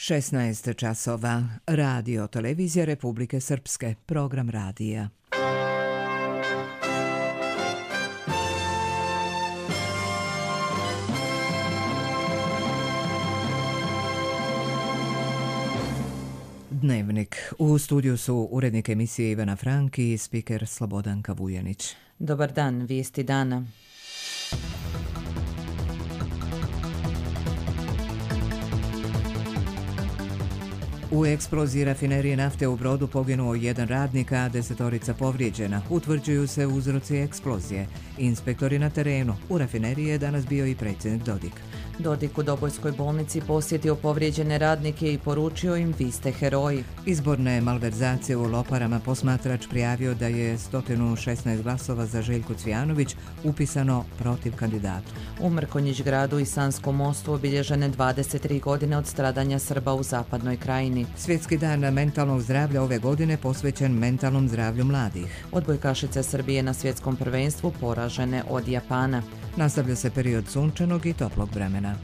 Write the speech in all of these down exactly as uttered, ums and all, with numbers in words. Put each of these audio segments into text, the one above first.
šesnaest časova. Radio Televizija Republike Srpske. Program radija. Dnevnik. U studiju su urednik emisije Ivana Franki i spiker Slobodanka Vujanić. Dobar dan, vijesti dana. U eksploziji rafinerije nafte u Brodu poginuo jedan radnik, a desetorica povrijeđena. Utvrđuju se uzroci eksplozije. Inspektori na terenu. U rafineriji je danas bio i predsjednik Dodik. Dodik u Dobojskoj bolnici posjetio povrijeđene radnike i poručio im: vi ste heroji. Izborne malverzacije u Loparama. Posmatrač prijavio da je sto šesnaest glasova za Željku Cvijanović upisano protiv kandidatu. U Mrkonjić gradu i Sanskom mostu obilježene dvadeset tri godine od stradanja Srba u zapadnoj krajini. Svjetski dan mentalnog zdravlja ove godine posvećen mentalnom zdravlju mladih. Odbojkašice Srbije na svjetskom prvenstvu poražene od Japana. Nastavlja se period sunčanog i toplog vremena.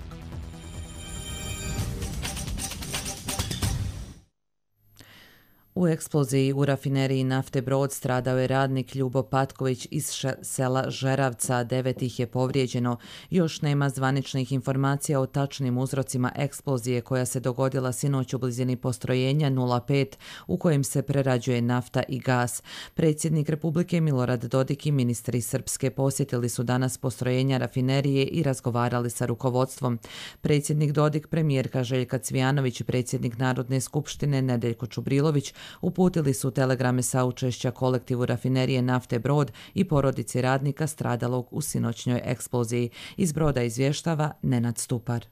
U eksploziji u rafineriji nafte Brod stradao je radnik Ljubo Patković iz sela Žeravca, devet ih je povrijeđeno. Još nema zvaničnih informacija o tačnim uzrocima eksplozije koja se dogodila sinoć u blizini postrojenja nula pet u kojem se prerađuje nafta i gas. Predsjednik Republike Milorad Dodik i ministri Srpske posjetili su danas postrojenja rafinerije i razgovarali sa rukovodstvom. Predsjednik Dodik, premijerka Željka Cvijanović i predsjednik Narodne skupštine Nedeljko Čubrilović uputili su telegrame saučešća kolektivu rafinerije nafte Brod i porodici radnika stradalog u sinoćnjoj eksploziji. Iz Broda izvještava Nenad Stupar.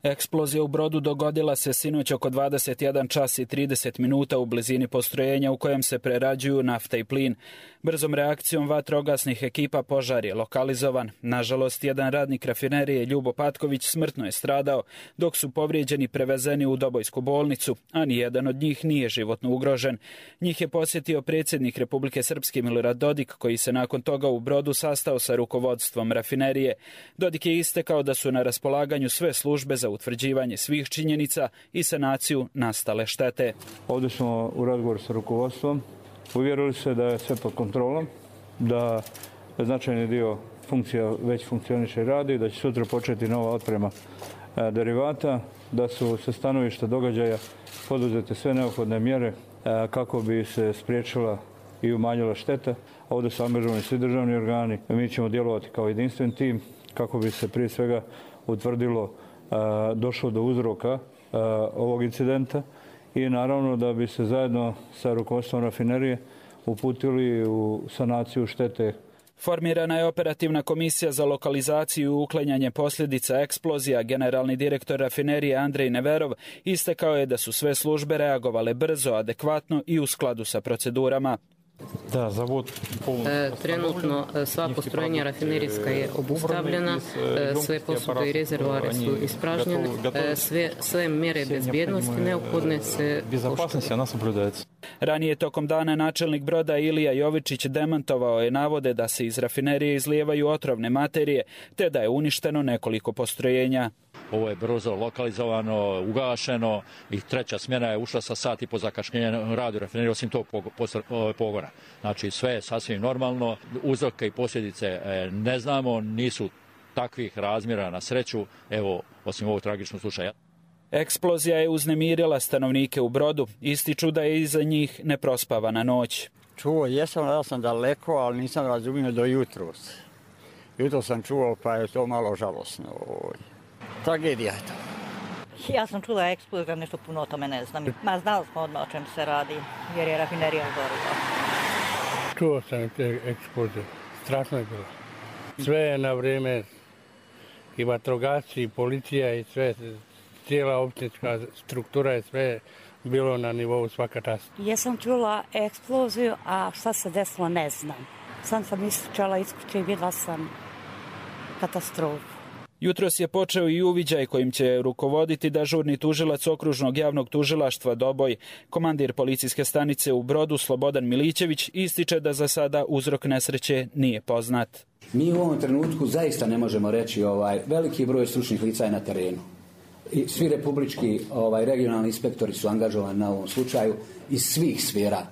Eksplozija u Brodu dogodila se sinoć oko dvadeset jedan čas i trideset minuta u blizini postrojenja u kojem se prerađuju nafta i plin. Brzom reakcijom vatrogasnih ekipa požar je lokalizovan. Nažalost, jedan radnik rafinerije Ljubo Patković smrtno je stradao, dok su povrijeđeni prevezeni u Dobojsku bolnicu, a nijedan od njih nije životno ugrožen. Njih je posjetio predsjednik Republike Srpske Milorad Dodik, koji se nakon toga u Brodu sastao sa rukovodstvom rafinerije. Dodik je istakao da su na raspolaganju sve službe za utvrđivanje svih činjenica i sanaciju nastale štete. Ovdje smo u razgovoru sa rukovodstvom uvjerili se da je sve pod kontrolom, da značajni dio funkcija već funkcioniše i radi, da će sutra početi nova otprema e, derivata, da su sa stanovišta događaja poduzete sve neophodne mjere e, kako bi se spriječila i umanjila šteta. Ovdje su angažovani svi državni organi. Mi ćemo djelovati kao jedinstven tim kako bi se prije svega utvrdilo došlo do uzroka ovog incidenta i naravno da bi se zajedno sa rukovodstvom rafinerije uputili u sanaciju štete. Formirana je operativna komisija za lokalizaciju i uklanjanje posljedica eksplozija. Generalni direktor rafinerije Andrej Neverov istakao je da su sve službe reagovale brzo, adekvatno i u skladu sa procedurama. Da, zavod e, trenutno sva postrojenja rafinerijska je obustavljena, e, sve posude i rezervoare su ispražnjene, e, sve, sve mjere bezbjednosti neophodne se poštuju. Ranije tokom dana načelnik Broda Ilija Jovičić demantovao je navode da se iz rafinerije izlijevaju otrovne materije, te da je uništeno nekoliko postrojenja. Ovo je brzo lokalizovano, ugašeno i treća smjena je ušla sa sat i po zakašnjenja radu rafinerije, osim tog pogona. Znači sve je sasvim normalno, uzroke i posljedice ne znamo, nisu takvih razmjera na sreću, evo, osim ovog tragičnog slučaja. Eksplozija je uznemirila stanovnike u Brodu, ističu da je iza njih neprospavana noć. Čuo jesam, da sam daleko, ali nisam razumio do jutros. Jutro sam čuo, pa je to malo žalosno. Tragedija je to. Ja sam čula eksplozija, nešto puno o tome ne znam. Ma znali smo odmah o čem se radi, jer je rafinerija gorila. Čuo sam te eksplozije, strašno je bilo. Sve je na vrijeme, i vatrogasci, i policija, i sve, cijela općinska struktura je sve bilo na nivou svaka čast. Ja sam čula eksploziju, a šta se desilo ne znam. Sam sam isključala isključenje i vidjela sam katastrofu. Jutros je počeo i uviđaj kojim će rukovoditi dežurni tužilac okružnog javnog tužilaštva Doboj. Komandir policijske stanice u Brodu Slobodan Milićević ističe da za sada uzrok nesreće nije poznat. Mi u ovom trenutku zaista ne možemo reći ovaj veliki broj stručnih lica je na terenu. I svi republički ovaj, regionalni inspektori su angažovani na ovom slučaju iz svih sfera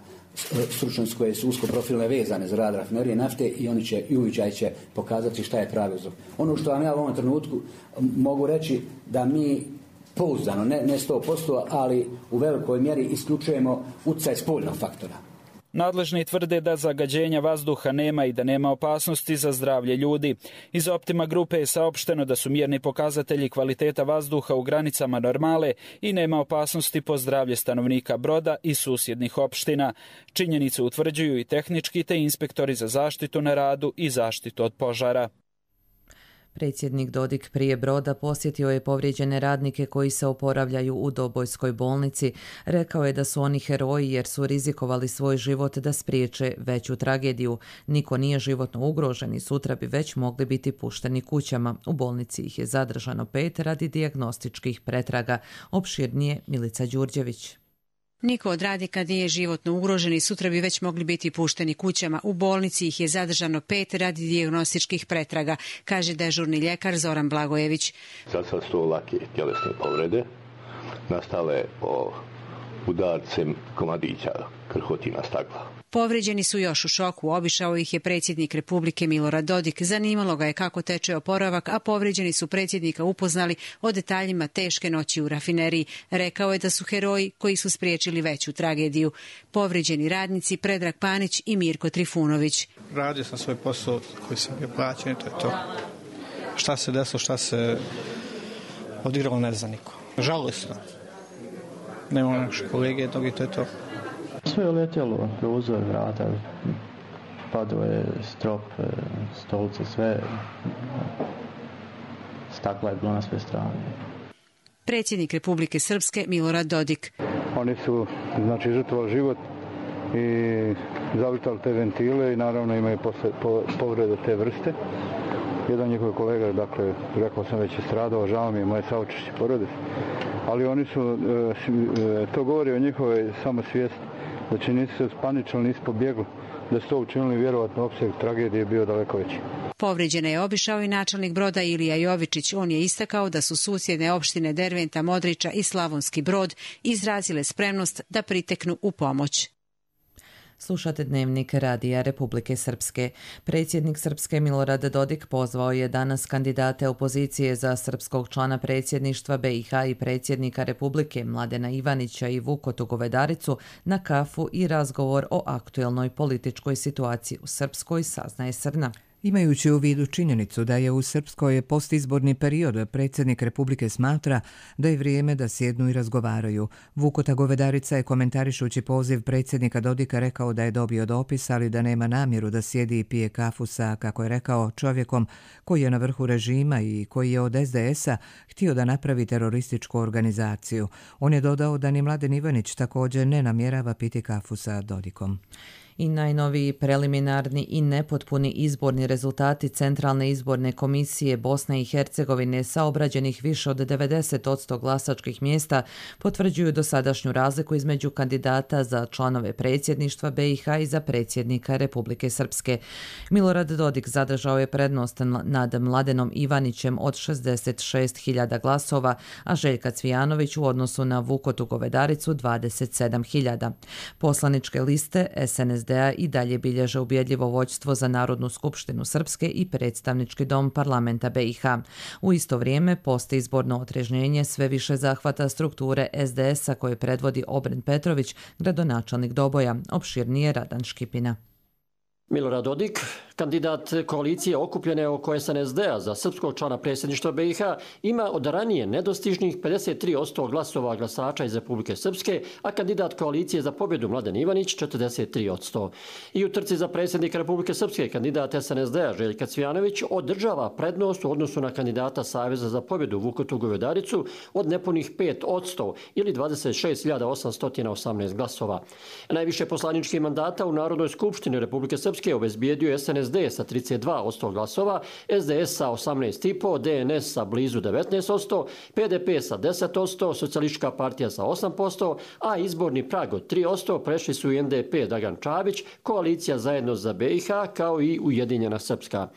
stručnosti koje su usko profilne vezane za rad rafinerije nafte i oni će i uviđaj će pokazati šta je pravi uzrok. Ono što vam ja u ovom trenutku mogu reći da mi pouzdano, ne, ne sto posto, ali u velikoj mjeri isključujemo utjecaj spoljnog faktora. Nadležni tvrde da zagađenja vazduha nema i da nema opasnosti za zdravlje ljudi. Iz Optima grupe je saopšteno da su mjerni pokazatelji kvaliteta vazduha u granicama normale i nema opasnosti po zdravlje stanovnika Broda i susjednih opština. Činjenicu utvrđuju i tehnički te inspektori za zaštitu na radu i zaštitu od požara. Predsjednik Dodik prije Broda posjetio je povrijeđene radnike koji se oporavljaju u Dobojskoj bolnici. Rekao je da su oni heroji jer su rizikovali svoj život da spriječe veću tragediju. Niko nije životno ugrožen i sutra bi već mogli biti pušteni kućama. U bolnici ih je zadržano pet radi dijagnostičkih pretraga. Opširnije Milica Đurđević. Niko od radnika nije životno ugrožen i sutra bi već mogli biti pušteni kućama. U bolnici ih je zadržano pet radi dijagnostičkih pretraga, kaže dežurni ljekar Zoran Blagojević. Za sad su lake tjelesne povrede, nastale po udarcem komadića krhotina stakla. Povrijeđeni su još u šoku, obišao ih je predsjednik Republike Milorad Dodik. Zanimalo ga je kako teče oporavak, a povrijeđeni su predsjednika upoznali o detaljima teške noći u rafineriji. Rekao je da su heroji koji su spriječili veću tragediju. Povrijeđeni radnici Predrag Panić i Mirko Trifunović. Radio sam svoj posao koji sam bio plaćen, to je to. Šta se desilo, šta se odigralo, ne zna niko. Žalosno. Nema naše kolege, dok i to je to. Sve je letjelo, prozor, vrata, padao je strop, stolice, sve, stakla je bilo na sve strane. Predsjednik Republike Srpske Milorad Dodik. Oni su, znači, žrtvovali život i zavitali te ventile i naravno imaju posle, po, povrede te vrste. Jedan njihov kolega, dakle, rekao sam već je stradao, žao mi je moje saučešće porodice, ali oni su, to govori o njihovoj samosvijesti. Znači nisu se spaničali, nisu pobjegli, da su to učinili, vjerovatno opseg tragedije je bio daleko veći. Povrijeđene je obišao i načelnik Broda Ilija Jovičić. On je istakao da su susjedne opštine Derventa, Modriča i Slavonski Brod izrazile spremnost da priteknu u pomoć. Slušate Dnevnik Radija Republike Srpske. Predsjednik Srpske Milorad Dodik pozvao je danas kandidate opozicije za srpskog člana predsjedništva B i H i predsjednika Republike Mladena Ivanića i Vukotu Govedaricu na kafu i razgovor o aktuelnoj političkoj situaciji u Srpskoj, saznaje Srna. Imajući u vidu činjenicu da je u Srpskoj postizborni period, predsjednik Republike smatra da je vrijeme da sjednu i razgovaraju. Vukota Govedarica je komentarišući poziv predsjednika Dodika rekao da je dobio dopis, ali da nema namjeru da sjedi i pije kafu sa, kako je rekao, čovjekom koji je na vrhu režima i koji je od S D S-a htio da napravi terorističku organizaciju. On je dodao da ni Mladen Ivanić također ne namjerava piti kafu sa Dodikom. I najnoviji preliminarni i nepotpuni izborni rezultati Centralne izborne komisije Bosne i Hercegovine sa obrađenih više od devedeset posto glasačkih mjesta potvrđuju dosadašnju razliku između kandidata za članove predsjedništva B i H i za predsjednika Republike Srpske. Milorad Dodik zadržao je prednost nad Mladenom Ivanićem od šezdeset šest hiljada glasova, a Željka Cvijanović u odnosu na Vukotu Govedaricu dvadeset sedam hiljada. Poslaničke liste S N S D-a i dalje bilježe ubjedljivo vođstvo za Narodnu skupštinu Srpske i predstavnički dom parlamenta B i H. U isto vrijeme postizborno otrežnjenje sve više zahvata strukture S D S-a koje predvodi Obren Petrović, gradonačelnik Doboja. Opširnije Radan Škipina. Milorad Dodik, kandidat koalicije okupljene oko S N S D-a za srpskog člana predsjedništva B i H, ima od ranije nedostižnih pedeset tri posto glasova glasača iz Republike Srpske, a kandidat koalicije za pobjedu Mladen Ivanić četrdeset tri posto. I u trci za predsjednika Republike Srpske kandidat S N S D-a Željka Cvijanović održava prednost u odnosu na kandidata Saveza za pobjedu Vukotu Govedaricu od nepunih pet posto ili dvadeset šest hiljada osamsto osamnaest glasova. Najviše poslaničkih mandata u Narodnoj skupštini Republike Srpske obezbijedio S N S S D sa trideset dva posto glasova, S D S sa osamnaest zarez pet, D N S sa blizu devetnaest posto, P D P sa deset posto, Socijalistička partija sa osam posto, a izborni prag od tri posto prešli su i N D P Dragan Čabić, Koalicija Zajedno za B i H kao i Ujedinjena Srpska.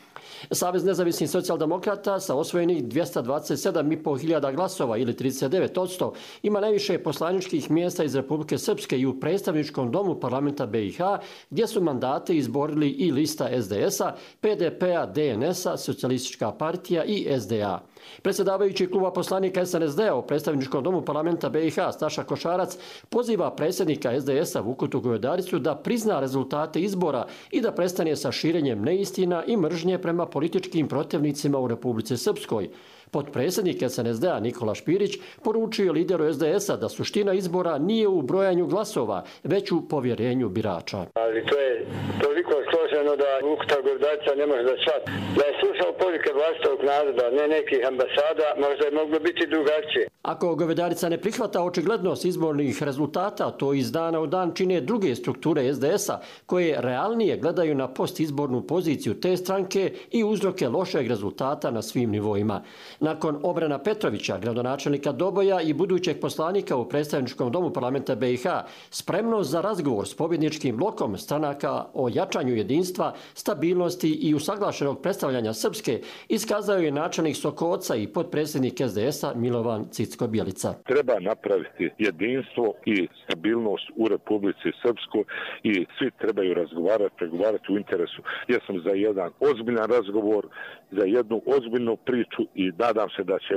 Savez nezavisnih socijaldemokrata sa osvojenih dvjesto dvadeset sedam zarez pet hiljada glasova ili trideset devet posto ima najviše poslaničkih mjesta iz Republike Srpske i u predstavničkom domu parlamenta B i H gdje su mandate izborili i lista S D S-a, P D P-a, D N S-a, Socijalistička partija i S D A. Predsjedavajući kluba poslanika S N S D-a u predstavničkom domu parlamenta B i H Staša Košarac poziva predsjednika S D S-a Vukotu Govedaricu da prizna rezultate izbora i da prestane sa širenjem neistina i mržnje prema političkim protivnicima u Republici Srpskoj. Potpredsjednik S N S D-a Nikola Špirić poručio lideru S D S-a da suština izbora nije u brojanju glasova, već u povjerenju birača. Ali to je toliko složeno da Vukuta Govedarica ne može da shvati. Da je slušao poruke vlastitog naroda, ne nekih ambasada, možda je moglo biti drugačije. Ako Govedarica ne prihvata očiglednost izbornih rezultata, to iz dana u dan čine druge strukture S D S-a koje realnije gledaju na postizbornu poziciju te stranke i uzroke lošeg rezultata na svim nivoima. Nakon Obrana Petrovića, gradonačelnika Doboja i budućeg poslanika u predstavničkom domu parlamenta B i H, spremnost za razgovor s pobjedničkim blokom stranaka o jačanju jedinstva, stabilnosti i usaglašenog predstavljanja Srpske iskazao je načelnik Sokoca i potpredsjednik S D S-a Milovan Cicko-Bjelica. Treba napraviti jedinstvo i stabilnost u Republici Srpskoj i svi trebaju razgovarati, pregovarati u interesu. Ja sam za jedan ozbiljan razgovor, za jednu ozbiljnu priču i nadam se da će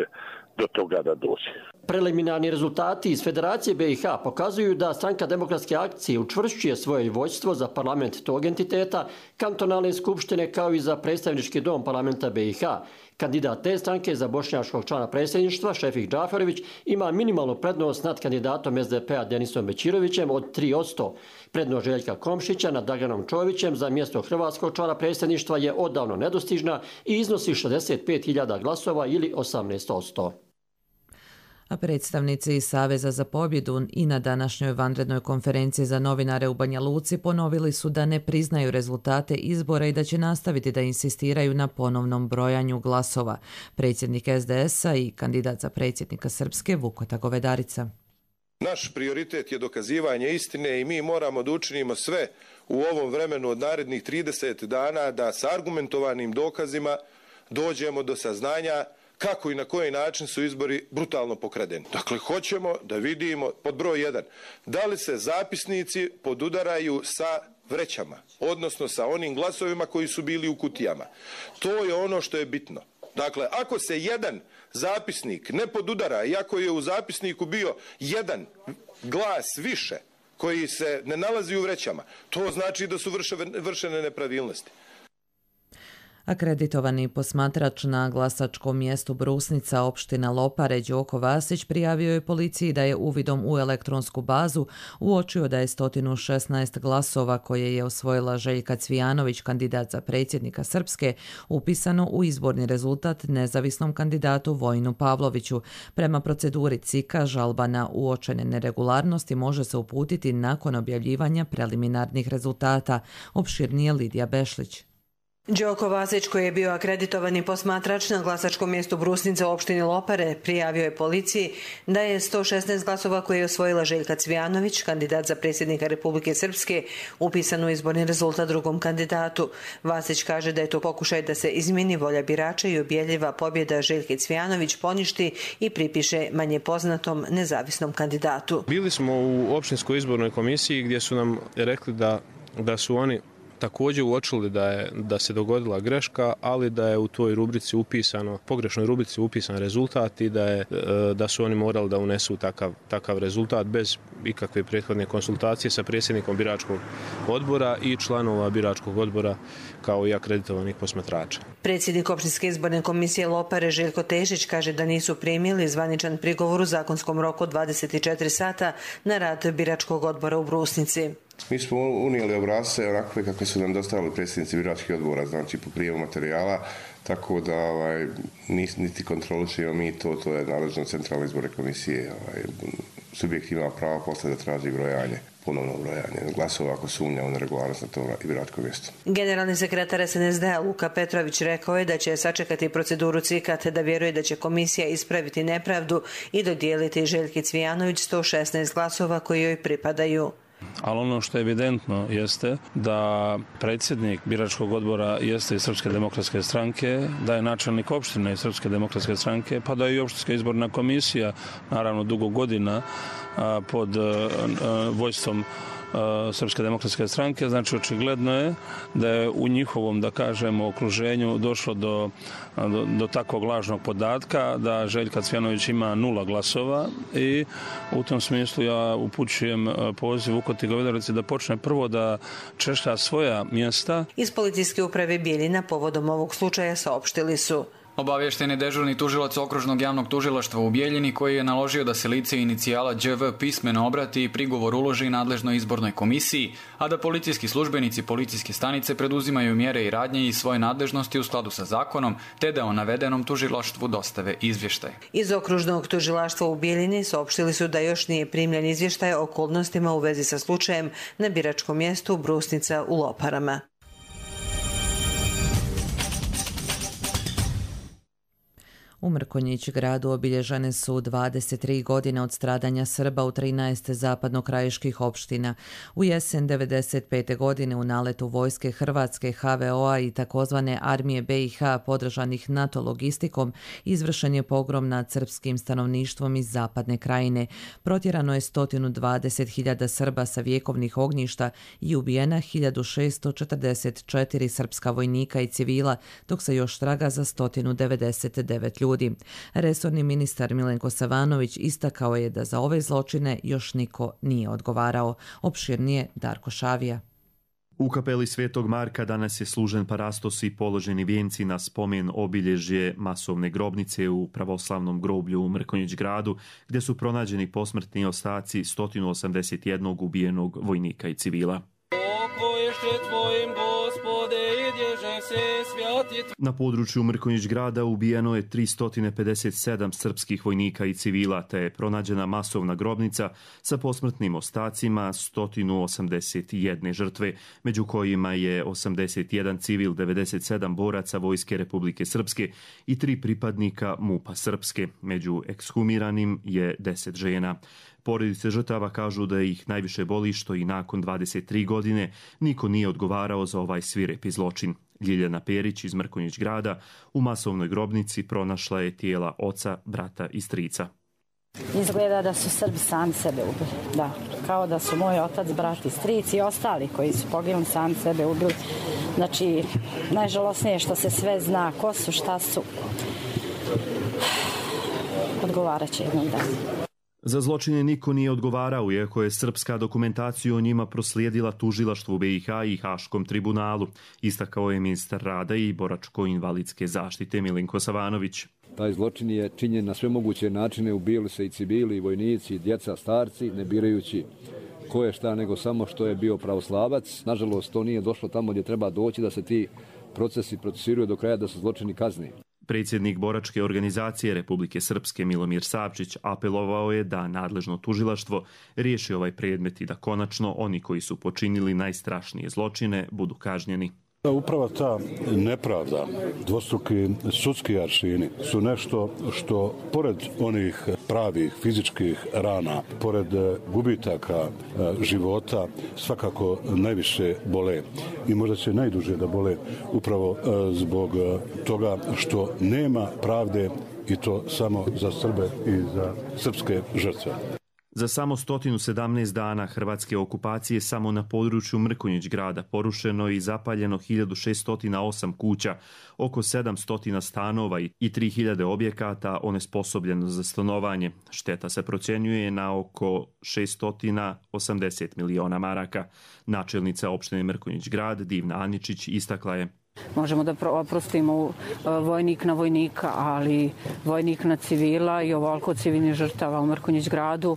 do toga da dođe. Preliminarni rezultati iz Federacije B i H pokazuju da Stranka demokratske akcije učvršćuje svoje vojstvo za parlament tog entiteta, kantonalne skupštine kao i za predstavnički dom parlamenta B i H. Kandidat te stranke za bošnjačkog člana predsjedništva, Šefik Džaferović, ima minimalnu prednost nad kandidatom S D P-a Denisom Bećirovićem od tri posto. Prednost Željka Komšića nad Draganom Čovićem za mjesto hrvatskog člana predsjedništva je odavno nedostižna i iznosi šezdeset pet hiljada glasova ili osamnaest posto. A predstavnici iz Saveza za pobjedu i na današnjoj vanrednoj konferenciji za novinare u Banja Luci ponovili su da ne priznaju rezultate izbora i da će nastaviti da insistiraju na ponovnom brojanju glasova. Predsjednik S D S-a i kandidat za predsjednika Srpske Vukota Govedarica. Naš prioritet je dokazivanje istine i mi moramo da učinimo sve u ovom vremenu od narednih trideset dana da sa argumentovanim dokazima dođemo do saznanja kako i na koji način su izbori brutalno pokradeni. Dakle, hoćemo da vidimo, pod broj jedan, da li se zapisnici podudaraju sa vrećama, odnosno sa onim glasovima koji su bili u kutijama. To je ono što je bitno. Dakle, ako se jedan zapisnik ne podudara, iako je u zapisniku bio jedan glas više koji se ne nalazi u vrećama, to znači da su vršene nepravilnosti. Akreditovani posmatrač na glasačkom mjestu Brusnica opština Lopare Đoko Vasić prijavio je policiji da je uvidom u elektronsku bazu uočio da je sto šesnaest glasova koje je osvojila Željka Cvijanović, kandidat za predsjednika Srpske, upisano u izborni rezultat nezavisnom kandidatu Vojinu Pavloviću. Prema proceduri C I K-a žalba na uočene neregularnosti može se uputiti nakon objavljivanja preliminarnih rezultata, opširnije Lidija Bešlić. Đoko Vasić, koji je bio akreditovani posmatrač na glasačkom mjestu Brusnica u opštini Lopare, prijavio je policiji da je sto šesnaest glasova koje je osvojila Željka Cvijanović, kandidat za predsjednika Republike Srpske, upisan u izborni rezultat drugom kandidatu. Vasić kaže da je to pokušaj da se izmjeni volja birača i objavljiva pobjeda Željke Cvijanović poništi i pripiše manje poznatom nezavisnom kandidatu. Bili smo u opštinskoj izbornoj komisiji gdje su nam rekli da, da su oni također uočili da je da se dogodila greška, ali da je u toj rubrici upisano, pogrešnoj rubrici upisan rezultat i da je da su oni morali da unesu takav takav rezultat bez ikakve prethodne konsultacije sa predsjednikom biračkog odbora i članova biračkog odbora kao i akreditovanih posmatrača. Predsjednik opštinske izborne komisije Lopare Željko Tešić kaže da nisu primili zvaničan prigovor u zakonskom roku dvadeset četiri sata na rad biračkog odbora u Brusnici. Mi smo unijeli obrasce onakve kakve su nam dostavili predsjednici biračkih odbora, znači po prijavu materijala, tako da ovaj, niti kontrolišemo mi to, to je nadležno centralne izborne komisije. Ovaj, subjekt ima pravo posle da traži brojanje. ponovno brojanje glasova ako sumnja u neregularnost na tom biračkom mjestu. Generalni sekretar S N S D-a Luka Petrović rekao je da će sačekati proceduru C I K A, te da vjeruje da će komisija ispraviti nepravdu i dodijeliti Željki Cvijanović sto šesnaest glasova koji joj pripadaju. Ali ono što je evidentno jeste da predsjednik biračkog odbora jeste iz Srpske demokratske stranke, da je načelnik opštine iz Srpske demokratske stranke, pa da je i opštinska izborna komisija, naravno dugo godina, pod vojstvom Srpske demokratske stranke. Znači, očigledno je da je u njihovom, da kažemo, okruženju došlo do, do, do takvog lažnog podatka da Željka Cvijanović ima nula glasova i u tom smislu ja upućujem poziv Vukotić Govedarici da počne prvo da češlja svoja mjesta. Iz policijske uprave Bijeljina povodom ovog slučaja saopštili su: Obavješten je dežurni tužilac okružnog javnog tužilaštva u Bijeljini koji je naložio da se lice inicijala Đ V pismeno obrati i prigovor uloži nadležnoj izbornoj komisiji, a da policijski službenici policijske stanice preduzimaju mjere i radnje iz svoje nadležnosti u skladu sa zakonom, te da o navedenom tužilaštvu dostave izvještaj. Iz okružnog tužilaštva u Bijeljini saopštili su da još nije primljen izvještaj o okolnostima u vezi sa slučajem na biračkom mjestu Brusnica u Loparama. U Mrkonjić gradu obilježene su dvadeset tri godine od stradanja Srba u trinaest zapadnokrajiških opština. U jesen devedeset pete godine u naletu vojske Hrvatske, H V O-a i takozvane armije B i H podržanih NATO logistikom izvršen je pogrom nad srpskim stanovništvom iz zapadne krajine. Protjerano je sto dvadeset hiljada Srba sa vjekovnih ognjišta i ubijena hiljadu šesto četrdeset četiri srpska vojnika i civila, dok se još traga za sto devedeset devet ljudi. Resorni ministar Milenko Savanović istakao je da za ove zločine još niko nije odgovarao. Opširnije Darko Šavija. U kapeli Svetog Marka danas je služen parastos i položeni vijenci na spomen obilježje masovne grobnice u pravoslavnom groblju u Mrkonjić gradu, gdje su pronađeni posmrtni ostaci sto osamdeset jednog ubijenog vojnika i civila. Na području Mrkonjić grada ubijeno je tristo pedeset sedam srpskih vojnika i civila, te je pronađena masovna grobnica sa posmrtnim ostacima sto osamdeset jedne žrtve, među kojima je osamdeset jedan civil, devedeset sedam boraca Vojske Republike Srpske i tri pripadnika MUP-a Srpske. Među ekshumiranim je deset žena. Porodice žrtava kažu da ih najviše boli što i nakon dvadeset tri godine niko nije odgovarao za ovaj svirepi zločin. Ljiljana Perić iz Mrkonjić grada u masovnoj grobnici pronašla je tijela oca, brata i strica. Izgleda da su Srbi sami sebe ubili. Da, kao da su moj otac, brat i stric i ostali koji su poginuli sami sebe ubili. Znači, najžalosnije je što se sve zna ko su, šta su. Odgovarat će jednog dana. Za zločine niko nije odgovarao, iako je srpska dokumentacija o njima proslijedila tužilaštvu B i H i Haškom tribunalu, istakao je ministar rada i boračko-invalidske zaštite Milenko Savanović. Taj zločin je činjen na sve moguće načine, ubijali se i civili, i vojnici, i djeca, starci, ne birajući ko je šta, nego samo što je bio pravoslavac. Nažalost, to nije došlo tamo gdje treba doći da se ti procesi procesiraju do kraja, da su zločini kazni. Predsjednik boračke organizacije Republike Srpske Milomir Savčić apelovao je da nadležno tužilaštvo riješi ovaj predmet i da konačno oni koji su počinili najstrašnije zločine budu kažnjeni. Upravo ta nepravda, dvostruki sudski aršini su nešto što pored onih pravih fizičkih rana, pored gubitaka života svakako najviše bole i možda će najduže da bole upravo zbog toga što nema pravde i to samo za Srbe i za srpske žrtve. Za samo sto sedamnaest dana hrvatske okupacije samo na području Mrkonjić grada porušeno i zapaljeno hiljadu šesto osam kuća, oko sedamsto stanova i tri hiljade objekata onesposobljeno za stanovanje. Šteta se procjenjuje na oko šesto osamdeset miliona maraka. Načelnica opštine Mrkonjić grad Divna Aničić istakla je: Možemo da oprostimo vojnik na vojnika, ali vojnik na civila i ovoliko civilnih žrtava u Mrkonjić gradu,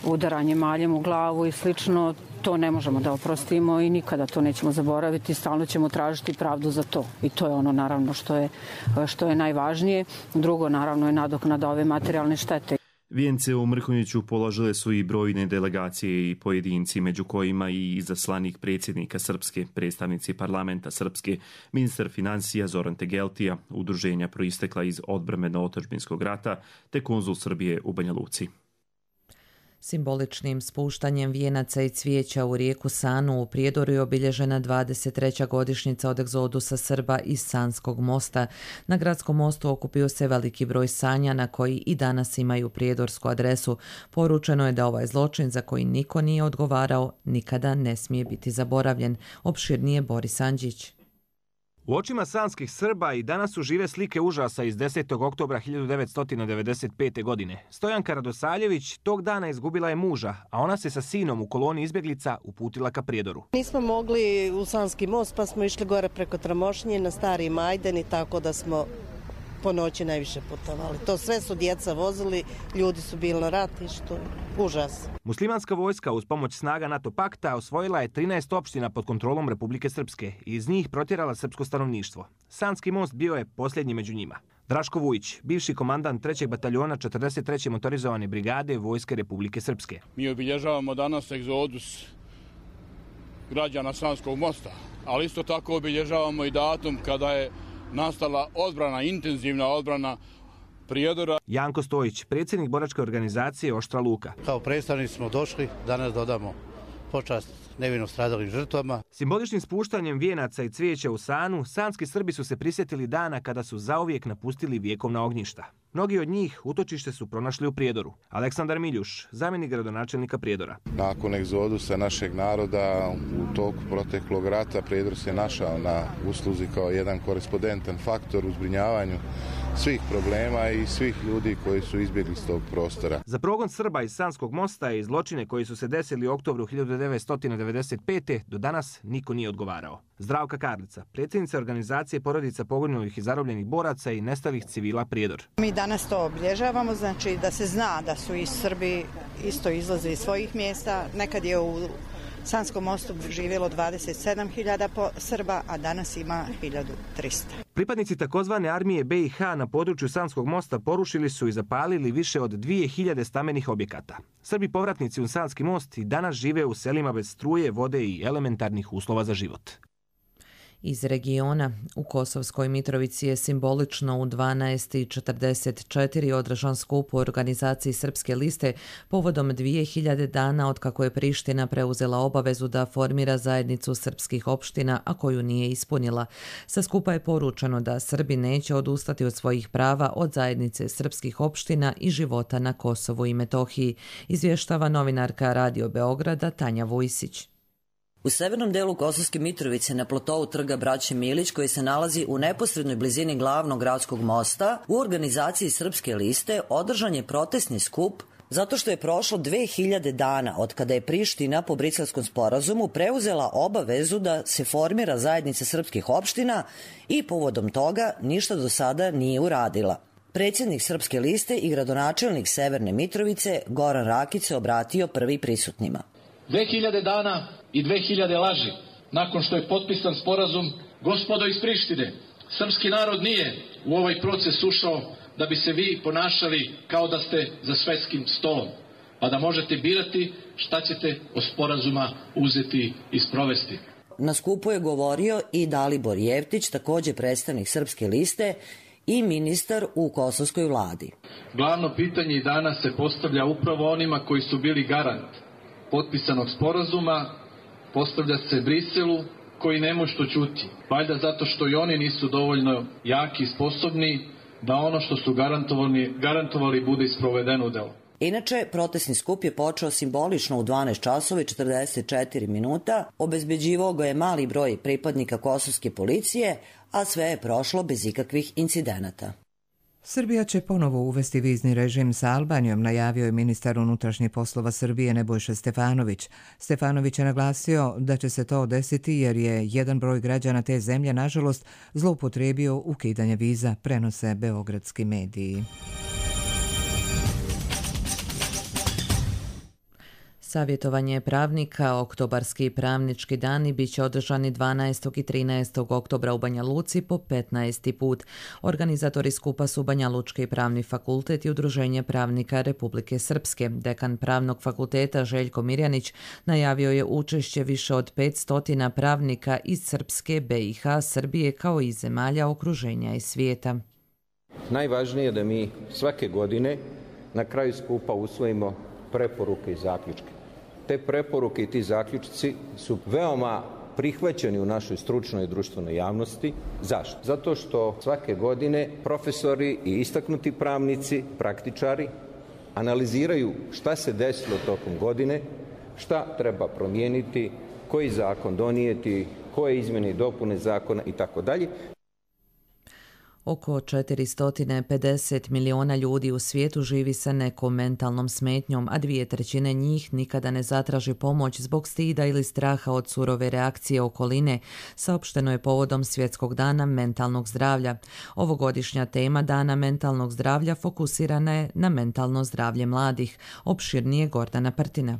udaranje maljem u glavu i slično, to ne možemo da oprostimo i nikada to nećemo zaboraviti. Stalno ćemo tražiti pravdu za to. I to je ono naravno što je, što je najvažnije. Drugo naravno je nadoknada ove materijalne štete. Vijence u Mrkonjiću položile su i brojne delegacije i pojedinci, među kojima i izaslanik predsjednika Srpske, predstavnici parlamenta Srpske, ministar financija Zoran Tegeltija, udruženja proistekla iz odbrambeno-otadžbinskog rata, te konzul Srbije u Banja Luci. Simboličnim spuštanjem vijenaca i cvijeća u rijeku Sanu u Prijedoru je obilježena dvadeset treća godišnjica od egzodusa Srba iz Sanskog mosta. Na gradskom mostu okupio se veliki broj Sanjana koji i danas imaju prijedorsku adresu. Poručeno je da ovaj zločin za koji niko nije odgovarao nikada ne smije biti zaboravljen. Opširnije Boris Andžić. U očima sanskih Srba i danas su žive slike užasa iz desetog oktobra hiljadu devetsto devedeset pete. godine. Stojanka Radosaljević tog dana izgubila je muža, a ona se sa sinom u koloni izbjeglica uputila ka Prijedoru. Nismo mogli u Sanski most, pa smo išli gore preko Tramošnje na Stari Majdan i tako da smo po noći najviše putovali. To sve su djeca vozili, ljudi su bili na ratištu, užas. Muslimanska vojska uz pomoć snaga NATO pakta osvojila je trinaest opština pod kontrolom Republike Srpske i iz njih protjerala srpsko stanovništvo. Sanski most bio je posljednji među njima. Draško Vujić, bivši komandant trećeg bataljona četrdeset treće motorizovane brigade Vojske Republike Srpske. Mi obilježavamo danas egzodus građana Sanskog mosta, ali isto tako obilježavamo i datum kada je nastala odbrana, intenzivna odbrana Prijedora. Janko Stojić, predsjednik boračke organizacije Oštra Luka. Kao predstavnici smo došli danas da odamo počast nevino stradalim žrtvama. Simboličnim spuštanjem vijenaca i cvijeća u Sanu, sanski Srbi su se prisjetili dana kada su zauvijek napustili vjekovna ognjišta. Mnogi od njih utočište su pronašli u Prijedoru. Aleksandar Miljuš, zamjenik gradonačelnika Prijedora. Nakon egzodusa našeg naroda u toku proteklog rata Prijedor se našao na usluzi kao jedan korespondentan faktor u zbrinjavanju svih problema i svih ljudi koji su izbjegli s tog prostora. Za progon Srba iz Sanskog mosta i zločine koji su se desili u oktobru hiljadu devetsto devedeset pete. do danas niko nije odgovarao. Zdravka Karlica, predsjednica organizacije porodica poginulih i zarobljenih boraca i nestalih civila Prijedor. Mi danas to obilježavamo, znači da se zna da su i Srbi isto izlaze iz svojih mjesta. Nekad je u Sanskom mostu živjelo dvadeset sedam hiljada Srba, a danas ima hiljadu trista. Pripadnici takozvane armije be i ha na području Sanskog mosta porušili su i zapalili više od dvije hiljade stambenih objekata. Srbi povratnici u Sanski most i danas žive u selima bez struje, vode i elementarnih uslova za život. Iz regiona u Kosovskoj Mitrovici je simbolično u dvanaest i četrdeset četiri održan skup u organizaciji Srpske liste povodom dvije hiljade dana od kako je Priština preuzela obavezu da formira zajednicu srpskih opština, a koju nije ispunila. Sa skupa je poručeno da Srbi neće odustati od svojih prava od zajednice srpskih opština i života na Kosovu i Metohiji, izvještava novinarka Radio Beograda Tanja Vujsić. U severnom delu Kosovske Mitrovice na platovu trga Braće Milić, koji se nalazi u neposrednoj blizini glavnog gradskog mosta, u organizaciji Srpske liste održan je protestni skup zato što je prošlo dve hiljade dana od kada je Priština po Briselskom sporazumu preuzela obavezu da se formira zajednica srpskih opština i povodom toga ništa do sada nije uradila. Predsjednik Srpske liste i gradonačelnik Severne Mitrovice Goran Rakić se obratio prvi prisutnima. Dve hiljade dana i dve hiljade laži nakon što je potpisan sporazum, gospodo iz Prištine, srpski narod nije u ovaj proces ušao da bi se vi ponašali kao da ste za svetskim stolom, pa da možete birati šta ćete od sporazuma uzeti i sprovesti. Na skupu je govorio i Dalibor Jevtić, također predstavnik Srpske liste i ministar u kosovskoj vladi. Glavno pitanje i danas se postavlja upravo onima koji su bili garant potpisanog sporazuma, postavlja se Briselu koji ne može što čuti. Valjda zato što i oni nisu dovoljno jaki i sposobni da ono što su garantovali, garantovali bude isprovedeno u delo. Inače, protestni skup je počeo simbolično u dvanaest časova i četrdeset četiri minuta, obezbeđivao ga je mali broj pripadnika kosovske policije, a sve je prošlo bez ikakvih incidenata. Srbija će ponovo uvesti vizni režim sa Albanijom, najavio je ministar unutrašnjih poslova Srbije Nebojša Stefanović. Stefanović je naglasio da će se to desiti jer je jedan broj građana te zemlje, nažalost, zloupotrijebio ukidanje viza, prenose beogradski mediji. Savjetovanje pravnika, oktobarski pravnički dani bit će održani dvanaestog i trinaestog oktobra u Banja Luci po petnaesti put. Organizatori skupa su Banja Lučki pravni fakultet i Udruženje pravnika Republike Srpske. Dekan pravnog fakulteta Željko Mirjanić najavio je učešće više od petsto pravnika iz Srpske, B i H, Srbije kao i zemalja okruženja i svijeta. Najvažnije je da mi svake godine na kraju skupa usvojimo preporuke i zaključke. Te preporuke i ti zaključci su veoma prihvaćeni u našoj stručnoj i društvenoj javnosti. Zašto? Zato što svake godine profesori i istaknuti pravnici, praktičari analiziraju šta se desilo tokom godine, šta treba promijeniti, koji zakon donijeti, koje izmjene i dopune zakona i tako dalje. Oko četiristo pedeset miliona ljudi u svijetu živi sa nekom mentalnom smetnjom, a dvije trećine njih nikada ne zatraži pomoć zbog stida ili straha od surove reakcije okoline, saopšteno je povodom Svjetskog dana mentalnog zdravlja. Ovogodišnja tema Dana mentalnog zdravlja fokusirana je na mentalno zdravlje mladih. Opširnije Gordana Prtina.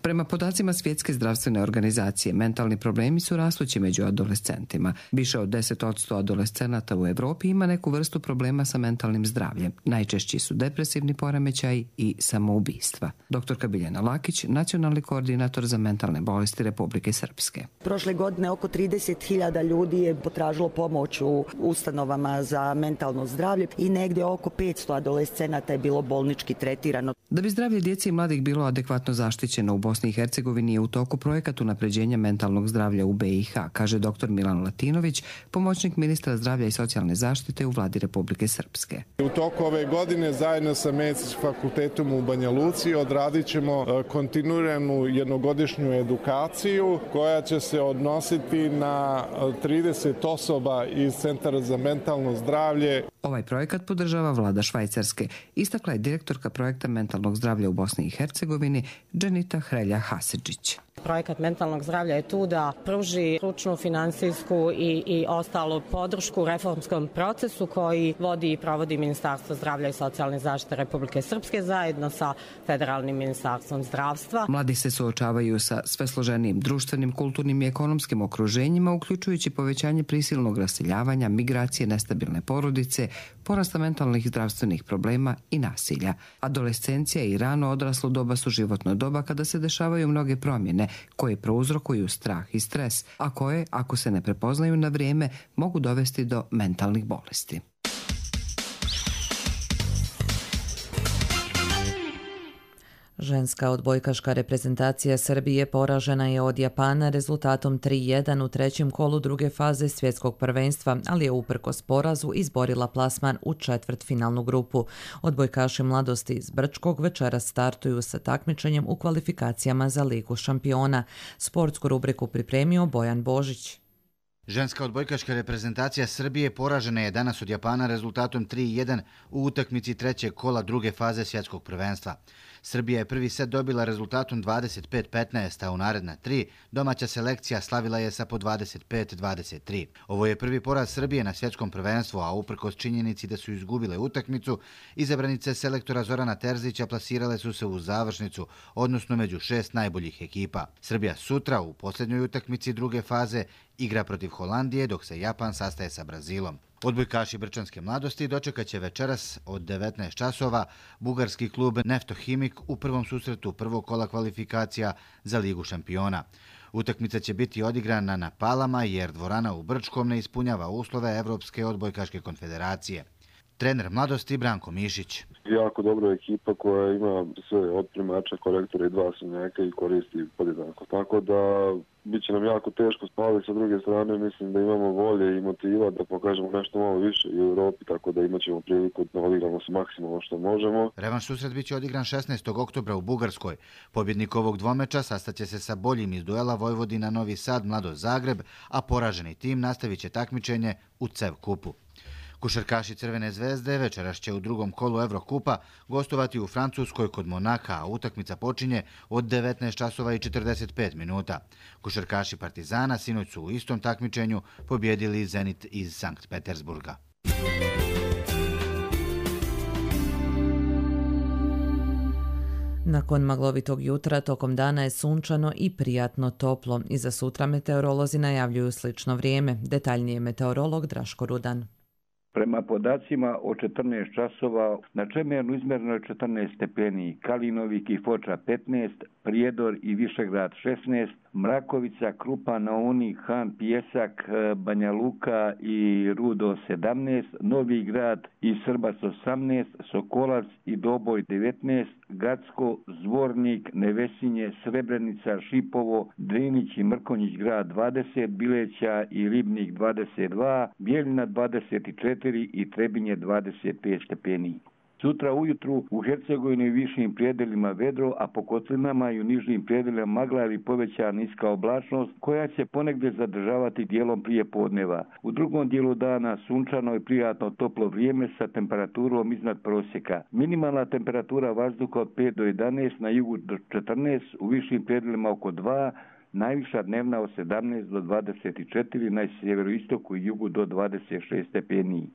Prema podacima Svjetske zdravstvene organizacije, mentalni problemi su rastući među adolescentima. Više od deset posto adolescenata u Europi ima neku vrstu problema sa mentalnim zdravljem. Najčešći su depresivni poremećaj i samoubistva. Doktorka Biljana Lakić, nacionalni koordinator za mentalne bolesti Republike Srpske. Prošle godine oko trideset hiljada ljudi je potražilo pomoć u ustanovama za mentalno zdravlje i negdje oko petsto adolescenata je bilo bolnički tretirano. Da bi zdravlje djece i mladih bilo adekvatno zaštićeno u Bosni i Hercegovini je u toku projekat unapređenja mentalnog zdravlja u B i H, kaže doktor Milan Latinović, pomoćnik ministra zdravlja i socijalne zaštite u vladi Republike Srpske. U toku ove godine zajedno sa Medicinskim fakultetom u Banja Luci odradit ćemo kontinuiranu jednogodišnju edukaciju koja će se odnositi na trideset osoba iz Centara za mentalno zdravlje. Ovaj projekat podržava vlada Švajcarske, istakla je direktorka projekta mentalnog zdravlja u Bosni i Hercegovini Dženita Hrelja Hasidžić. Projekat mentalnog zdravlja je tu da pruži stručnu, finansijsku i, i ostalu podršku reformskom procesu koji vodi i provodi Ministarstvo zdravlja i socijalne zaštite Republike Srpske zajedno sa Federalnim ministarstvom zdravstva. Mladi se suočavaju sa sve složenijim društvenim, kulturnim i ekonomskim okruženjima, uključujući povećanje prisilnog raseljavanja, migracije, nestabilne porodice, porasta mentalnih zdravstvenih problema i nasilja. Adolescencija i rano odraslo doba su životno doba kada se dešavaju mnoge promjene koje prouzrokuju strah i stres, a koje, ako se ne prepoznaju na vrijeme, mogu dovesti do mentalnih bolesti. Ženska odbojkaška reprezentacija Srbije poražena je od Japana rezultatom tri jedan u trećem kolu druge faze svjetskog prvenstva, ali je uprkos porazu izborila plasman u četvrtfinalnu grupu. Odbojkaši mladosti iz Brčkog večeras startuju sa takmičenjem u kvalifikacijama za Ligu šampiona. Sportsku rubriku pripremio Bojan Božić. Ženska odbojkaška reprezentacija Srbije poražena je danas od Japana rezultatom tri jedan u utakmici trećeg kola druge faze svjetskog prvenstva. Srbija je prvi set dobila rezultatom dvadeset pet petnaest, a u naredna tri domaća selekcija slavila je sa po dvadeset pet dvadeset tri. Ovo je prvi poraz Srbije na svjetskom prvenstvu, a uprkos činjenici da su izgubile utakmicu, izabranice selektora Zorana Terzića plasirale su se u završnicu, odnosno među šest najboljih ekipa. Srbija sutra u posljednjoj utakmici druge faze igra protiv Holandije, dok se Japan sastaje sa Brazilom. Odbojkaši Brčanske mladosti dočekat će večeras od devetnaest časova bugarski klub Neftohimik u prvom susretu prvog kola kvalifikacija za Ligu šampiona. Utakmica će biti odigrana na Palama jer dvorana u Brčkom ne ispunjava uslove Evropske odbojkaške konfederacije. Trener mladosti Branko Mišić. Jako dobra ekipa koja ima sve od primača, korektora i dva sunjaka i koristi podjednako. Tako da bit će nam jako teško, ali sa druge strane mislim da imamo volje i motiva da pokažemo nešto malo više i u Europi, tako da imat ćemo priliku da odigramo se maksimalno što možemo. Revanš susret bit će odigran šesnaestog oktobra u Bugarskoj. Pobjednik ovog dvomeča sastaće se sa boljim iz duela Vojvodina Novi Sad Mladost Zagreb, a poraženi tim nastavit će takmičenje u CEV kupu. Košarkaši Crvene zvezde večeras će u drugom kolu Evrokupa gostovati u Francuskoj kod Monaka, a utakmica počinje od devetnaest časova i četrdeset pet minuta. Košarkaši Partizana sinoć su u istom takmičenju pobjedili Zenit iz Sankt Petersburga. Nakon maglovitog jutra tokom dana je sunčano i prijatno toplo. I za sutra meteorolozi najavljuju slično vrijeme. Detaljnije meteorolog Draško Rudan. Prema podacima o četrnaest časova na Čemernu izmjereno je četrnaest stepeni, Kalinovik i Foča petnaest, Prijedor i Višegrad šesnaest, Mrakovica, Krupa na Uni, Han, Pijesak, Banja Luka i Rudo sedamnaest, Novi Grad i Srbac osamnaest, Sokolac i Doboj devetnaest, Gacko, Zvornik, Nevesinje, Srebrenica, Šipovo, Drinić i Mrkonjić grad dvadeset, Bileća i Ribnik dvadeset dva, Bijeljina dvadeset četiri i Trebinje dvadeset pet stepeni. Sutra ujutru u Hercegovini i višim prijedelima vedro, a po kotlinama i u nižim prijedelima magla ili povećana niska oblačnost koja će ponegdje zadržavati dijelom prije podneva. U drugom dijelu dana sunčano i prijatno toplo vrijeme sa temperaturom iznad prosjeka. Minimalna temperatura vazduha od pet do jedanaest, na jugu do četrnaest, u višim prijedelima oko dva, najviša dnevna od sedamnaest do dvadeset četiri, na sjeveroistoku i jugu do dvadeset šest stepeni.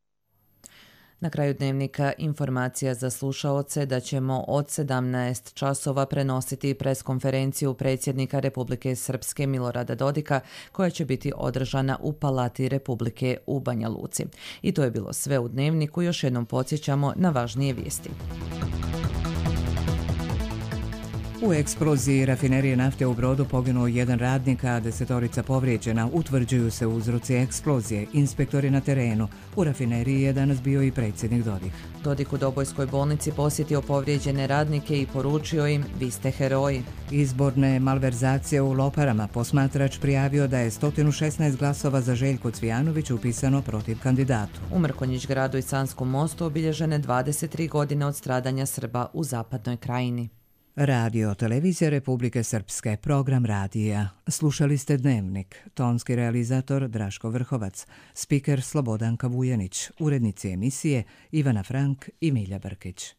Na kraju dnevnika informacija za slušaoce da ćemo od sedamnaest časova prenositi preskonferenciju predsjednika Republike Srpske Milorada Dodika koja će biti održana u Palati Republike u Banja Luci. I to je bilo sve u dnevniku, još jednom podsjećamo na važnije vijesti. U eksploziji rafinerije nafte u Brodu poginuo jedan radnik, a desetorica povrijeđena. Utvrđuju se uzroci eksplozije. Inspektori na terenu. U rafineriji je danas bio i predsjednik Dodik. Dodik u Dobojskoj bolnici posjetio povrijeđene radnike i poručio im: vi ste heroji. Izborne malverzacije u Loparama. Posmatrač prijavio da je sto šesnaest glasova za Željko Cvijanović upisano protiv kandidatu. U Mrkonjić gradu i Sanskom mostu obilježene dvadeset tri godine od stradanja Srba u Zapadnoj krajini. Radio Televizija Republike Srpske, program radija. Slušali ste Dnevnik, tonski realizator Draško Vrhovac, spiker Slobodanka Vujanić, urednici emisije Ivana Frank i Milja Brkić.